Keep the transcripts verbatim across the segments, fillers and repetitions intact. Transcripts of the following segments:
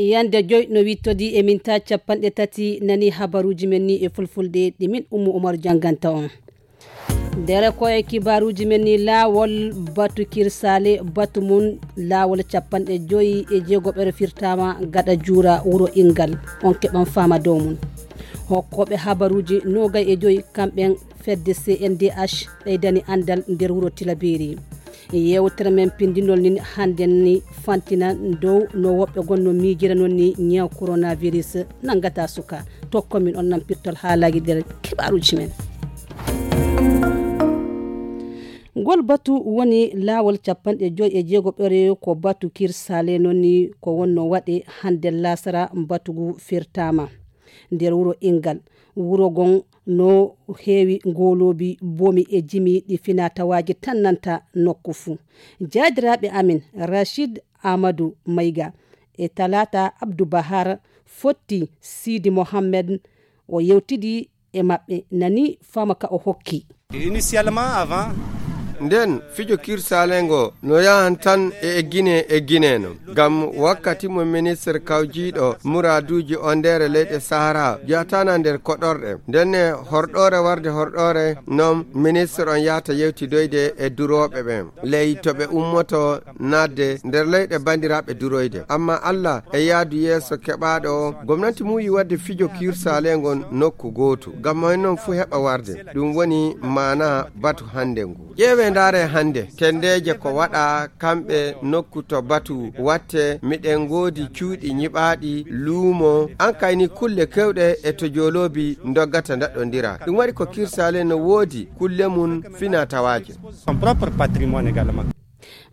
Yande joy no wittodi e minta capanɗe tati nani habaruji men ni e fulfulde ɗi min Ummu Umaru janganta on. Nder ko e kibaruji men ni laawol batu kirsale batu mun laawol capanɗe joyi e jeegoɓere firtama gaɗa juura wuro Ingal on keɓan fama dow mun. Hokkoɓe habaruji nogay e joyi kamɓen fedde C N D H ɓeydani andal nder wuro Tilaberi. Yewtere men pindinol nin hande ni fantina dow no woɓɓe gonno miijira non ni ñaw coronavirus nangata suka. Tokko min on nan pirtol haalaji nder kibaruji men. Ngol batu woni laawol capanɗe joyi e jeego ɓereyo ko batu kirsale non ni ko wonno waɗe hande lasara batugu firtama nder wuro Ingal. Wuro gon no heewi ngoloobi bomi e jimi ɗi fina tawaaji tannanta nokku fuu. Jaadiraaɓe amin Rachid Amadou Mayga e Talata Abdou Bahar fotti Sidi Mohammed o yewtidi e maɓɓe nani fama ka o hokki. Initialement avant. Nden fijo kirsalengo no yahan tan e eggine eggine no. Ngam wakkati mo ministre kawjiiɗo muraaduuji ondeere leyɗe Sahara jeyataana nder koɗorɗe. Ndenne horɗoore warde horɗoore non ministre on yahata yewtidoyde e durooɓe ɓen. Ley to ɓe ummoto naatde nder leyɗe banndiraaɓe duroyde. Amma Allah e yaadu yeeso keɓaaɗo o, gomnati muuyi waɗde fijo kirsale ngon nokku gootu. Ngam mo en non fuu heɓa warde. Ɗum woni maana batu hannde ngu. Ƴeewee ndaaree hannde, tenndeeje ko waɗaa kamɓe nokku to batu watte, miɗen ngoodi cuuɗi nyiɓaaɗi, luumo, an kayni kulle keewɗe e to jooloobi ndoggata ndaɗɗondira. Ɗum waɗi ko kirsale no woodi kulle mum fina tawaaje. Son propre patrimoine également.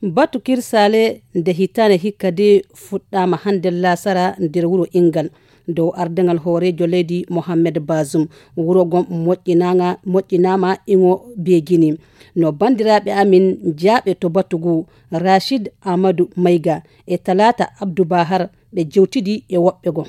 Batu kirsale nde hitaande hikka de fuɗɗaama hannde laasara nder wuro Ingal. Dow ardaŋal hooreejo leydi Mohammed Bazoum, wuro ngon moƴƴinaama iŋo beegini. No banndiraaɓe amin jaaɓe to batu ngu, Rachid Amadou Mayga e Talata Abdou Bahar ɓe jewtidi e woɓɓe goo.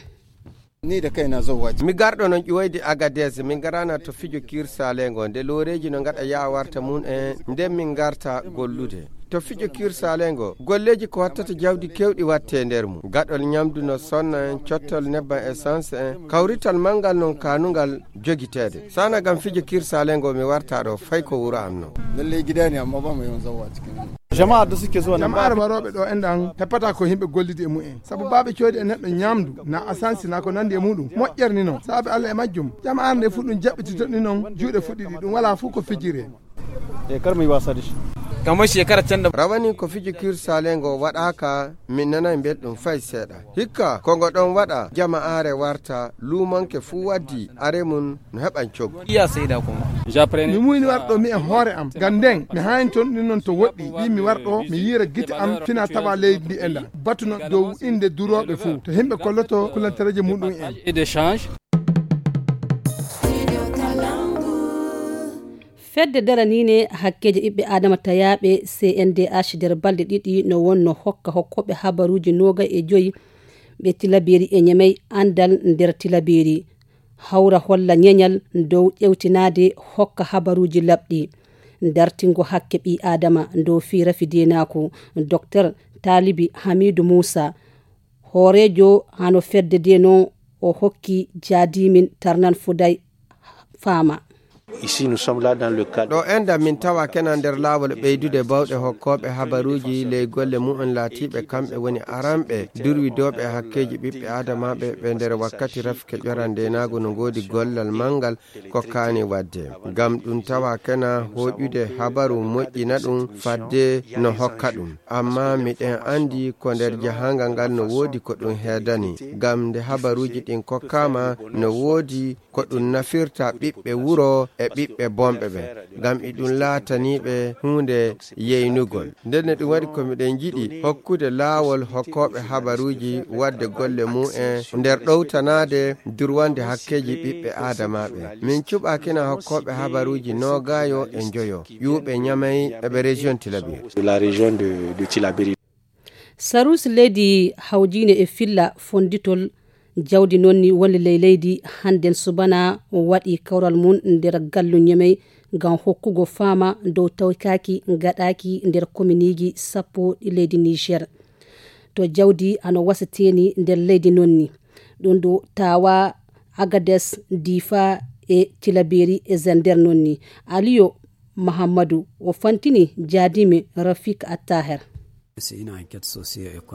Mi garɗo non ƴiwoyde Agadez, min garana to fijo kirsale ngo, nde looreeji no ngaɗa yaha warta mum en, nden min garta gollude. To fijo kirsale ngo, golleeji ko wattata jawdi kewɗi watte nder mum. Gaɗol ñamdu no sonna en, cottol nebban essence en, kawrital manngal non kaanungal jogiteede. Sana ngam fijo kirsale ngo mi warta ɗo fay ko wuro am non. Lallai gida ne amma ba mu yawan zawa cikin nan. Jama'a da suke zuwa nan ba. Jama'ar warooɓe ɗo enɗan heɓata ko yimɓe gollidi e mumen. Sabu baaɓe coodi e neɗɗo ñamdu, na asansi na ko nandi e muɗum. Moƴƴere ni non. Saabe Allah e majjum. Jama'ar nde fu ɗum jaɓɓitito ni non, juuɗe fu ɗiɗi, ɗum wala fu ko fijire. E kar mu yi wasa da shi. Kamar shekara can da. Rawani ko fijo kirsale ngo waɗaaka, min nanay belɗum fay seeɗa. Hikka, ko ngo ɗon waɗa, jama'aare warta, luumanke fuu waddi, are mum no heɓan coggu. Iya sai da kuma. Mi muyni warɗo mi e hoore am. Ngam nden, mi haynton ɗin non to woɗɗi, ɓi mi warɗo, mi yiira gite am, fina tawa leydi ndi e nda. Batuno dow innde durooɓe fuu, to himɓe kolloto kulantereeje muɗum en. Et d'échange. Fedde daraniinde hakkeeji ɓiɓɓe Aadama tayaaɓe C N D H nder balɗe ɗiɗi no wonno hokka hokkooɓe habaruuji noogay e joyi ɓe Tilaberi e Ñemey anndal nder Tilaberi. Hawra holla ñeñal dow ƴewtinaade hokka habaruuji laɓɗi. Dartingo hakke ɓii Aadama dow fii rafi deenaaku, Doktor Taalibi Hamiidu Muusa, hooreejo hano fedde dee non o hokki jaadiimin tarnan fuday faama. Ici, nous sommes là dans le cadre. Ɗo enɗan min tawa kena nder laawol ɓeydude bawɗe hokkooɓe habaruuji ley golle mu'un laatiiɓe kamɓe woni aranɓe durwidooɓe hakkeeji ɓiɓɓe aadamaaɓe ɓe nder wakkati rafke ƴoran ndeenaagu no ngoodi gollal manngal ko kaani waɗde. Ngam ɗum tawa kena hooƴude habaru moƴƴina ɗum fadde no hokka ɗum. Amma miɗen anndi ko nder jahaangal ngal no woodi ko ɗum heedani. Ngam nde habaruuji ɗin kokkaama no woodi ko ɗum nafirta ɓiɓɓe wuro e ɓiɓɓe bonɓe ɓen, ngam iɗum laataniiɓe huunde yeynugol. Ndenne ɗum waɗi ko miɗen njiɗi hokkude laawol hokkooɓe habaruuji waɗde golle mu'en nder ɗowtanaade durwande hakkeeji ɓiɓɓe aadamaaɓe. Min cuɓaakina hokkooɓe habaruuji noogaayo e njoyo, ƴuuɓe Ñamey e ɓe région Tilaberi. De la région de, de Tilaberi. Sarus leydi hawjiinde e filla fonnditol jawdi noon ni woni ley leydi hannden subana waɗi kawral mum nder gallu Ñemey ngam hokkugo faama dow tawkaaki gaɗaaki nder kominiiji sappo ɗi leydi Niger. To jawdi ano wasateeni nder leydi noon ni. Ɗum ɗo tawa Agades, Difa e Tilaberi e Zender noon ni. Aliyo Mahammadu o fantini jaadimi Rafik Attaher.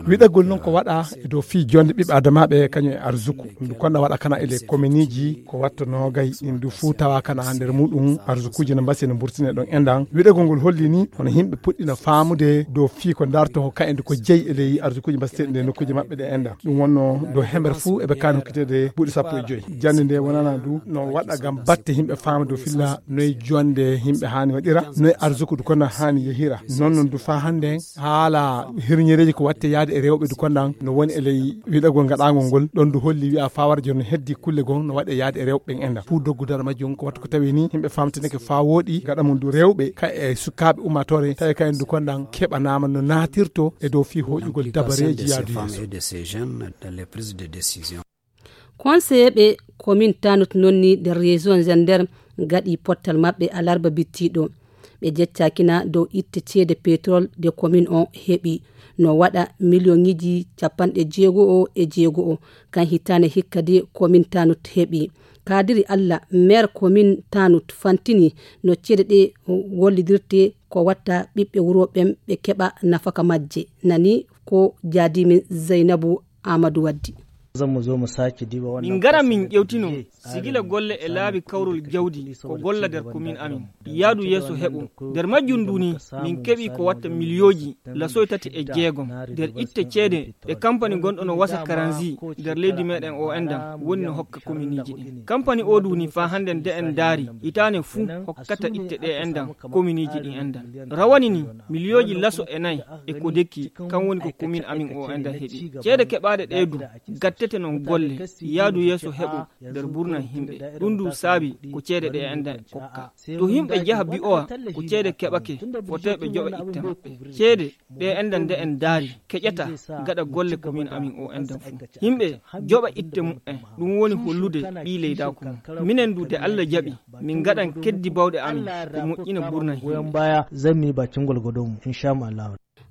Wiɗagol noon ko waɗa e dow fii jonde ɓiɓɓe adamaaɓe kañum e arsuku. Ndu konɗa waɗa kana e les kominiiji ko watta noogay ɗin du fuu tawa kana nder muɗum arsukuuji no mbasi no mburtine ɗon endan. Wiɗagol ngol holli ni hono yimɓe puɗɗina faamude dow fii ko darto ko kayen ko jeyi e ley arsukuuji mbaseteeɗi nde nokkuuji maɓɓe ɗe endan. Ɗum wonno dow hemere fuu eɓe kaani hokkiteede buuɗi sappo e joyi. Jannde nde wonana du no waɗa ngam batte yimɓe faama dow filla noye jonde yimɓe haani waɗira, noye arsuku du konɗa haani yehira. Noon noon du faa hannde haala hirñereeji ko watte yaade e rewɓe du konɗan no woni e ley wiɗagol ngaɗaangol ngol. Ɗon du holli wi'a faa wara jooni heddi kulle goo no waɗe yaade e rewɓe ɓen enɗan. Fuu doggu dara majjum ko wattu ko tawi ni yimɓe faamtinake faa wooɗi gaɗa mum du rewɓe ka e sukaaɓe ummaatoore tawi kayen du konɗan keɓanaama no naatirto e dow fii hoƴugol dabareeji yaadu yeeso. Conseiller ɓe commune Tanut noon ni nder région Zender gaɗi pottal maɓɓe alarba bittiɗo. Ɓe jeccakina dow itte ceede pétrole de commune on heɓi no waɗa million ŋiji capanɗe jeego o e jeego o. Kan hitande hikka de commune Tanut heɓi. Kadiri Allah, maire commune Tanut fantini no ceede ɗe gollidirte ko watta ɓiɓɓe wuro ɓen ɓe keɓa nafaka majje. Nani ko jaadimin Zaynabu Amadou Waddi. Min ngara min ƴewtino sigila golle e laabi kawrol jawdi ko golla nder komin amin. Yaadu yeeso heɓo. Nder majjum ndu ni min keɓi ko watta miliyooji lasoy tati e jeegom nder itte ceede ɗe kampani gonɗo no wasa karanzi nder leydi meɗen o endan woni no hokka kominiiji ɗin. Kampani o du ni faa hannden de en ndaari hitaane fuu hokkata itte ɗe endan kominiiji ɗin endan. Rawani ni miliyooji laso e nayi e ko dekki kan woni ko komin amin o endan heɓi. Ceede keɓaaɗe ɗe du gattete non golle yaadu yeeso heɓo nder burna yimɓe. Ɗum du saabi ko ceede ɗe endan kokka. To yimɓe njaha bi'owa ko ceede keɓake, fotee ɓe joɓa itte maɓɓe. Ceede ɗe endan nde en ndaari keƴata gaɗa golle komin amin o endan fuu. Yimɓe joɓa itte mumen, ɗum woni hollude ɓii leydaaku mum. Minen du de Allah jaɓi, min ngaɗan keddi bawɗe amin ko moƴƴina burna yimɓe.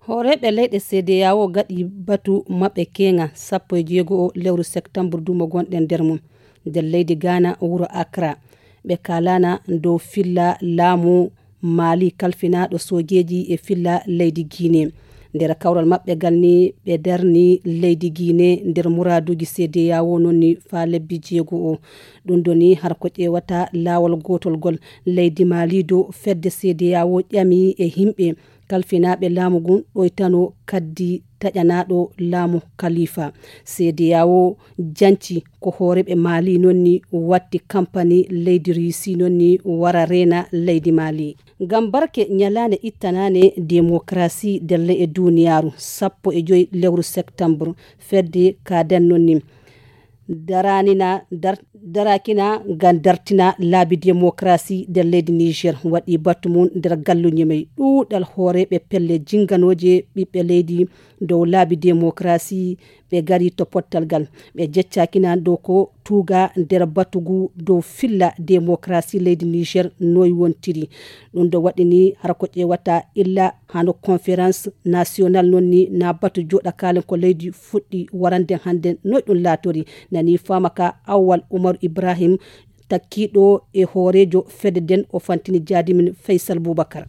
Hooreeɓe leyɗe C D A O gaɗi batu maɓɓe keeŋa sappo e jeego o lewru septembre du mo gonɗen nder mum. Nder leydi Ghana, wuro Accra. Ɓe kaalana dow filla laamu Mali kalfinaaɗo soojeeji e filla leydi Guinée. Nder kawral maɓɓe ngal ni ɓe darni leydi Guinée nder muraaduuji C D A O noon ni faa lebbi jeego o. Ɗum ɗo ni har ko ƴeewata laawol gootol ngol leydi Mali dow fedde C D A O ƴami e yimɓe kalfinaaɓe laamu ngun ɗoytano kaddi taƴanaaɗo laamu Khalifa. C D A O janci ko hooreeɓe Mali noon ni watti kampani leydi Russie noon ni wara reena leydi Mali. Ngam barke ñalaande ittanaande demokarasi delle e duniyaaru sappo e joyi lewru septembre fedde kaaden noon ni daranina dar- darakina ngam dartina laabi demokarasi nder leydi Niger waɗi batu mum nder galluuje may ɗuuɗal hooreeɓe pelle jinganooje ɓiɓɓe leydi dow laabi demokarasi. Ɓe ngari to pottal ngal ɓe jeccakina dow ko tuuga nder batu ngu dow filla demokarasi leydi Niger noy wontiri. Ɗum ɗo waɗini hara ko ƴeewata illa hano conférence nationale noon ni na batu jooɗa kaalen ko leydi fuɗɗi warande hannden noy ɗum laatori. Nani faama ka Awwal Umaru Ibrahim takkiiɗo e hooreejo fedde nden o fantini jaadimin Faysal Bubakar.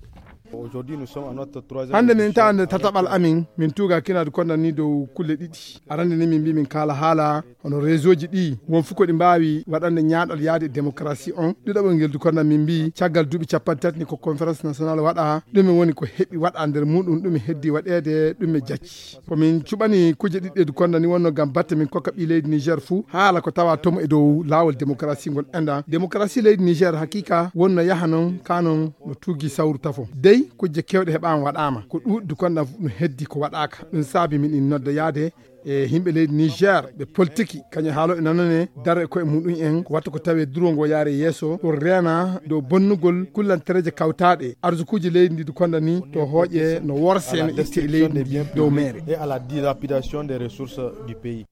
Hannde min tawa nde tataɓal amin min tuuga kinaade konda ni dow kulle ɗiɗi. Arande ni min mbi min kaala haala hono réseau ji ɗi won fof ko ɗi mbaawi waɗande ñaaɗal yaade e démocratie on. Ɗiɗaɓol ngel du konda min mbi caggal duuɓi capanɗe tati ni ko conférence nationale waɗa. Ɗume woni ko heɓi waɗa nder muɗum ɗume heddi waɗeede ɗume jacci. Ko min cuɓani kuje ɗiɗɗe du konda ni wonno ngam batte min kokka ɓii leydi Niger fuu haala ko tawa tomo e dow laawol démocratie ngol enɗan. Démocratie leydi Niger haqiqa wonno yaha non ka non no tuugi sawru tafo. Dey kujje kewɗe heɓaama waɗaama ko ɗuuɗi du konda no heddi ko waɗaaka. Ɗum saabi min in nodda yaade e yimɓe leydi Niger ɓe politiki kañum haalo e nanane daro e koye muɗum en ko watta ko tawe duro ngo yaare yeeso ɗum reena dow bonnugol kullantereeje kawtaaɗe arsukuuji leydi ndi du konda ni to hooƴe no worse no itte e leydi ndi dow meere. Et à la dilapidation des ressources du pays.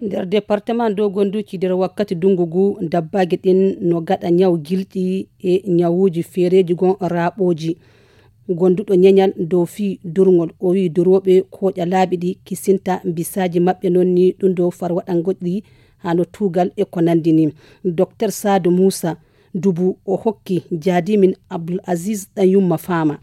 Nder département dow gonduuji nder wakkati dungu ngu dabbaaji ɗin no gaɗa ñaw gilɗi e ñawuuji feereeji gon raaɓooji. Gonduɗo ñeñal dow fii durngol, o wiyi durooɓe kooƴa laabi ɗi kisinta bisaaji maɓɓe, noon ni ɗum dow far waɗangoɗi hano tuugal e ko nanndi ni. Docteur Saadu Muusa Dubu o hokki jaadimin Abdul Aziz ɗan yumma faama.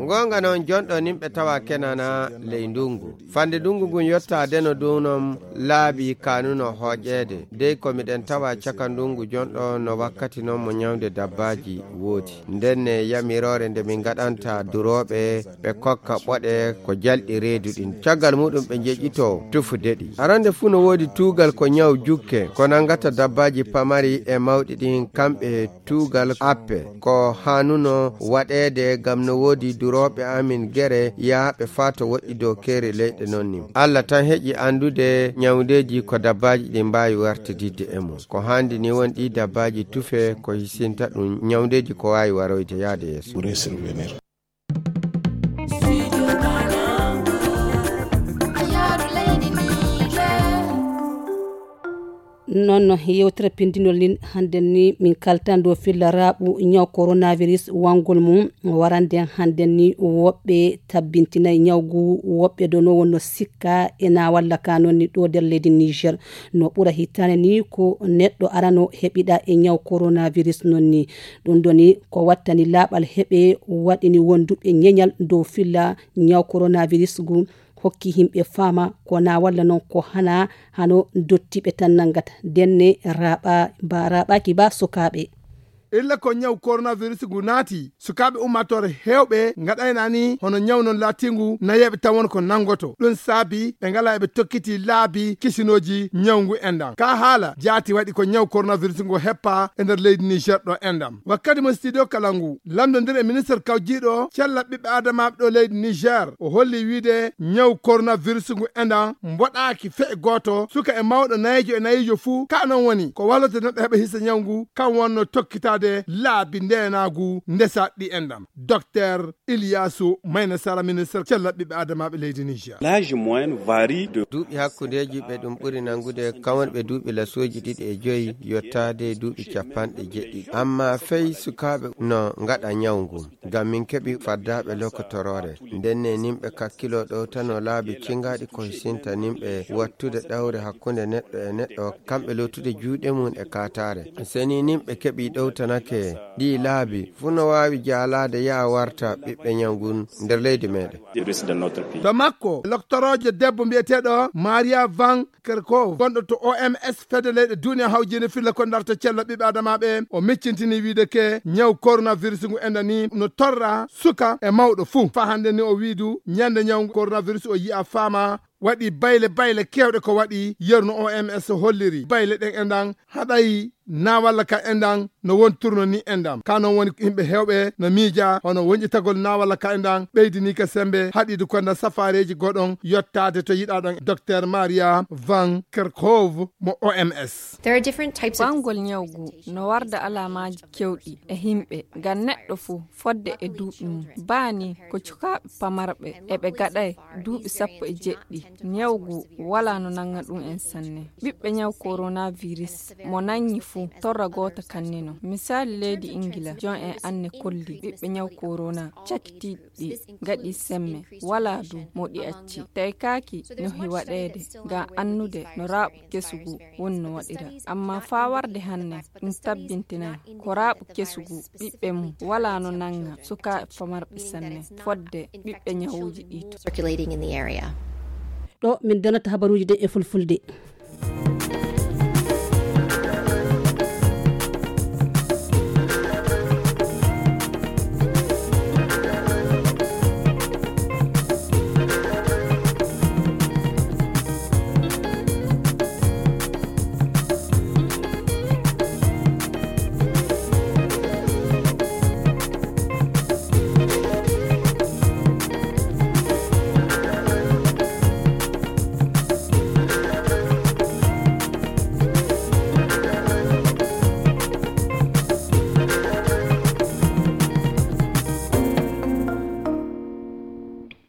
Goonga noon, jonɗo nimɓe tawa kenana ley ndungu. Fande ndungu ngun yottaade no ɗum noon laabi kanuno hooƴeede. Dey ko miɗen tawa caka ndungu jonɗo no wakkati noon mo ñawde dabbaaji woodi. Ndenne yamiroore nde min ngaɗanta durooɓe ɓe kokka ɓoɗe ko jalɗi reedu ɗin. Caggal muɗum ɓe njeƴƴitoo tufude ɗi. Arande fuu no woodi tuugal ko ñaw jukke ko nanngata dabbaaji pamari e mawɗi ɗin kamɓe tuugal appe. Ko haanuno waɗeede ngam no woodi durooɓe amin gere yahaaɓe faa to woɗɗi dow keeri leyɗe noon ni. Alla tan heƴi anndude ñawndeeji ko dabbaaji ɗin mbaawi wartididde e mum. Ko haandi ni won ɗi dabbaaji tufe ko hisinta ɗum ñawndeeji ko waawi waroyde yaade yeeso. Noon yewtere pindinol nin hannden ni min kaltan dow filla raaɓu ñaw coronavirus wangol mum warande hannden ni woɓɓe tabbintinay ñawgu woɓɓe dono wonno sikka e na walla ka noon ni ɗo nder leydi Niger. No ɓura hittaane ni ko neɗɗo arano heɓiɗa e ñaw coronavirus noon ni. Ɗum ɗoni ko wattani laaɓal heɓe waɗini wonduɓe ñeñal dow filla ñaw coronavirus ngu hokki himɓe faama ko na walla noon ko hana hano dottiɓe tan nangata denne raɓa ba raɓaki ba sukaaɓe. Illa ko ñaw coronavirus ngu naati sukaaɓe ummatore hewɓe ngaɗayna ni hono ñaw non laatingu nayeɓe tan won ko nangoto ɗum saabi ɓe ngala eɓe tokkiti laabi kisinoji ñaw ngu enɗam ka haala jaati waɗi ko ñaw coronavirus ngu heppa e nder leydi Niger ɗo enɗam wakkati mo studio kala ngu lamdondir e ministre kawjiɗo cella ɓiɓɓe adamaɓe ɗo leydi Niger o holli wiide ñaw coronavirus ngu enɗam mboɗaaki fe'e gooto suka e mawɗo nayejo e nayejo fuu ka non woni ko walloto neɗɗo heɓa hisa ñaw ngu kam wonno tokkitaade laabi ndenaagu ndesa ɗi enɗam. Docteur Ilyasu Mayna Sara ministre cella ɓiɓɓe adamaɓe leydi Niger. L'âge moyen varie de duuɓi hakkundeeji ɓe ɗum ɓuri nanngude kam woni ɓe duuɓi lasooji ɗiɗi e joyi yottaade duuɓi capanɗe jeɗɗi amma fey sukaaɓe no ngaɗa ñaw ngu. Ngam min keɓi faddaaɓe lokotoroore ndenne nimɓe kakkiloo ɗowtano laabi cingaaɗi ko hisinta nimɓe wattude ɗawre hakkunde neɗɗo e neɗɗo kamɓe lootude juuɗe mum e kaataare. Seni nimɓe keɓi ɗowtanake ɗi laabi fuu no waawi jaalaade yaa warta ɓiɓɓe ñaw ngun nder leydi meeɗen. To makko loktoroojo debbo mbiyeteeɗo Maria Van Kerkhove gonɗo to O M S fedde leyɗe duniya hawjinde filla ko darta cella ɓiɓɓe adamaɓe o miccintini wiide ke ñaw coronavirus ngu enda ni no torra suka e mawɗo fuu fa hannde ni o wiidu ñande ñaw coronavirus o yiya faama waɗi bayle bayle kewɗe ko waɗi yerno O M S holliri bayle ɗen enɗan haɗayi na walla ka enɗan no won tourno ni enɗam ka non woni yimɓe hewɓe no miija hono wonƴitagol na walla ka enɗan ɓeydini ka sembe haɗidu ko nda safareji goɗon yottade to yiɗaɗon docteur Maria Van Kerkhove mo O M S. Bangol ñawgu no warda alamaji kewɗi e himɓe ngam neɗɗo fuu fodde e duuɓi mum bani ko cukaaɓe pamarɓe eɓe gaɗay duuɓi sappo e jeɗɗi. Ñawgu wala no nanga ɗum en sanne. Ɓiɓɓe ñaw coronavirus mo nangi fuu torra goota kannino. Misali leydi Ingila jon en anne kolli ɓiɓɓe ñaw corona cakitiiɗi ɗi gaɗi semme wala du mo ɗi acci. Tawi kaaki no hi waɗeede ngam annude no raaɓu kesugu woni no waɗira. Amma faa warde hanne ɗum tabbintinay ko raaɓu kesugu ɓiɓɓe mum wala no nanga sukaaɓe pamarɓe sanne fodde ɓiɓɓe ñawuuji ɗi to. Ɗo min donata habaruuji ɗe e fulfulde.